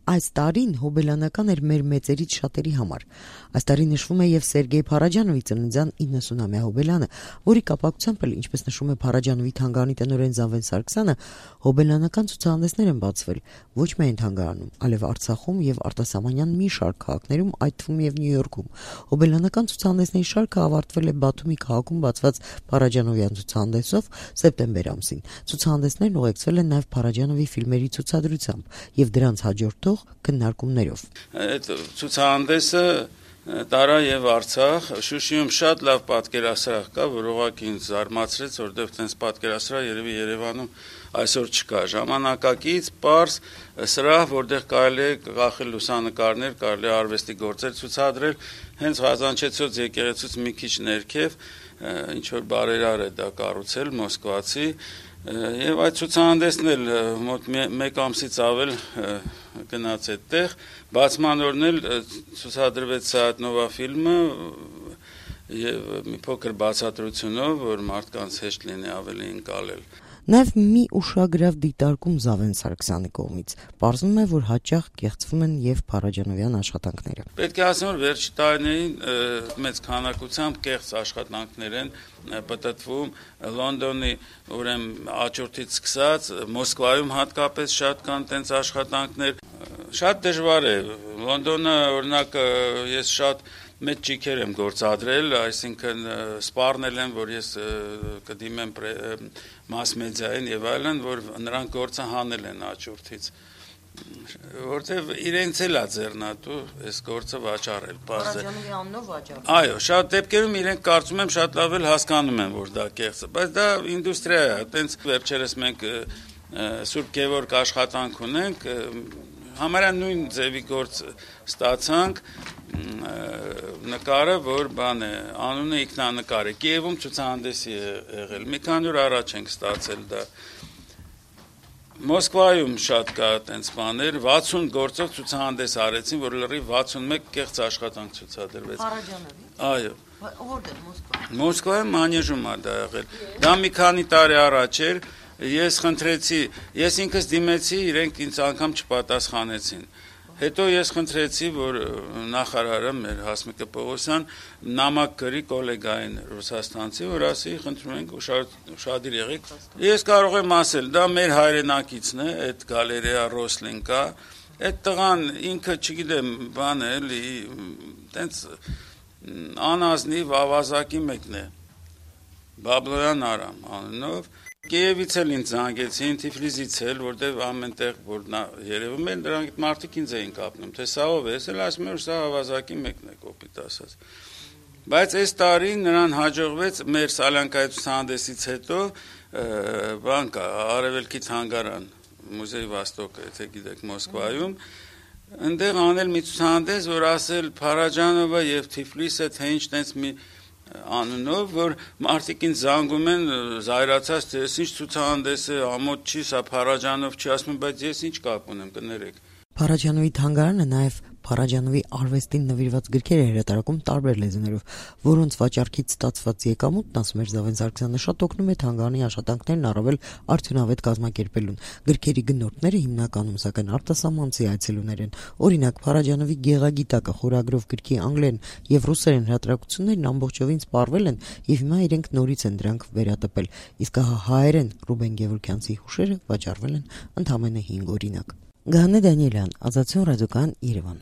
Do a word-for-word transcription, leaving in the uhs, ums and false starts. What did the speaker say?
Այս տարին հոբելյանական էր մեր մեծերից շատերի համար։ Այս տարի նշվում է եւ Սերգեյ Փարաջանովի ծննդյան իննսունամյա հոբելյանը, որի կապակցությամբ էլ, ինչպես նշում է Փարաջանովի թանգարանի տնօրեն Զավեն Սարգսյանը, հոբելյանական ցուցահանդեսներ են բացվել ոչ միայն թանգարանում, այլև Արցախում եւ արտասահմանյան մի շարք քաղաքներում, այդ թվում եւ Նյու Յորքում։ Հոբելյանական ցուցահանդեսների շարքը ավարտվել է Բաթումի քաղաքում բացված Փարաջանովյան ցուցահանդեսով սեպտեմբեր ամսին։ Ցուցահանդեսներն ուղեկցվել են նաեւ Փարաջանովի ֆիլմերի ցուցադրությամբ եւ դրանց հաջորդող քննարկումներով։ Այդ ցուցահանդեսը տարա եւ Արցախ, Շուշիում շատ լավ պատկերասրահ կա, որ ուղղակի ինձ զարմացրեց, որովհետեւ տենց պատկերասրահ երևի Երևանում այսօր չկա։ Ժամանակակից, պարզ սրահ, որտեղ կարելի է կախել լուսանկարներ, կարելի է արվեստի գործեր ցուցադրել, հենց Ղազանչեցոց եկեղեցուց մի քիչ ներքև, ինչ որ բարերար է դա կառուցել մոսկվացի, եւ այդ ցուցահանդեսն էլ մոտ մեկ ամսից ավել գնաց այդտեղ, բացման օրն էլ ցուցադրվեց Սայաթնովա ֆիլմը եւ մի փոքր բացատրությունով, որ մարդկանց հեշտ լինի ավելի ընկալել։ Նաև մի ուշագրավ դիտարկում Զավեն Սարգսյանի կողմից պարզվում է, որ հաճախ կեղծվում են եւ Փարաջանովյան աշխատանքները։ Պետք է ասեմ, որ վերջի տարիներին մեծ քանակությամբ կեղծ աշխատանքներ են պատտվում Լոնդոնի, ուրեմն աճուրդից սկսած, Մոսկվայում հատկապես շատ կան տենց աշխատանքներ։ Շատ դժվար է։ Լոնդոնը, օրինակ, ես շատ մեծ ճիքեր եմ գործադրել, այսինքն սպառնել եմ, որ ես կդիմեմ մաս մեդիային եւ այլն, որ նրանք գործը հանել են աճուրդից, որտեւ իրենց էլ է ձեռնատու այս գործը վաճառել, Փարաջանովի անունով վաճառել։ Այո, շատ դեպքերում իրենք կարծում եմ շատ լավ էլ հասկանում են, որ դա կեղծ է, բայց դա ինդուստրիա է, այտենց վերջերս մենք Սուրբ Գևորգ աշխատանք ունենք, համարյա նույն ձևի գործ ստացանք, նկարը, որ բան է, անունը ինքնանկար է, Կիևում ցուցահանդեսի է եղել, մի քանի օր առաջ ենք ստացել դա։ Մոսկվայում շատ կա այդպես բաներ, վաթսուն գործով ցուցահանդես արեցին, որ լրիվ վաթսունմեկ կեղծ աշխատանք ցուցադրվեց։ Փարաջանովի։ Այո։ Որտե՞ղ Մոսկվայում։ Մոսկվայում Մանեժում է դա եղել։ Դա մի քանի տարի առաջ էր, ես խնդրեցի, ես ինքս դիմեցի, իրենք ինձ անգամ չպատասխանեցին։ Հետո ես խնդրեցի, որ նախարարը մեր Հասմիկը Պողոսյան նամակ գրի գոլեգային ռուսաստանցի, որ ասի, խնդրում ենք ուշադիր եղեք։ Ես կարող եմ ասել, դա մեր հայրենակիցն է, այդ գալերեա Ռոսլինկա, այդ տղան ինքը, չգիտեմ, բան է, էլի, տենց անազնիվ ավազակի մեկն է, Բաբլոյան Արամ անունով, Կիևից էլ ինձ զանգեցին, Թիֆլիսից էլ, որտեղ ամենտեղ որ երևում են, դրանք մարդիկ ինձ էին կապնում, թե սա ով է, ես էլ ասում եմ, որ սա ավազակի մեկն է, կոպիտ ասած։ Բայց այս տարի նրան հաջողվեց մեր Սալյանկայի ցուցահանդեսից հետո բան կա, Արևելքի թանգարան, Մուզեյ Վաստոկը, եթե գիտեք, Մոսկվայում, այնտեղ անել մի ցուցահանդես, որ ասել Փարաջանովը եւ Թիֆլիսը, թե ինչ տենց մի անունով, որ մարդիկ ինձ զանգում են զայրացած, թե ես ինչ ցուցահանդես է, ամոթ չի, սա Փարաջանով չի, ասում եմ, բայց ես ինչ կապ ունեմ, կներեք։ Փարաջանովի թանգարանը նաև Փարաջանովի արվեստին նվիրված գրքեր է հրատարակում տարբեր լեզուներով, որոնց վաճառքից ստացված եկամուտն, ասում էր Զավեն Սարգսյանը, շատ օգնում է թանգարանի աշխատանքներն առավել արդյունավետ կազմակերպելուն։ Գրքերի գնորդները հիմնականում սակայն արտասահմանցի այցելուներ են։ Օրինակ, Փարաջանովի Գեղագիտակը խորագրով գրքի անգլերեն եւ ռուսերեն հրատարակություններն ամբողջովին սպառվել են եւ հիմա իրենք նորից են դրանք վերատպել, իսկ հայերեն Ռուբեն Գևորգյանցի հուշերը վաճառվել են ընդամենը հինգ օրինակ։ Գաներ Դանիելյան, Ազատություն ռադիոկայան, Երևան։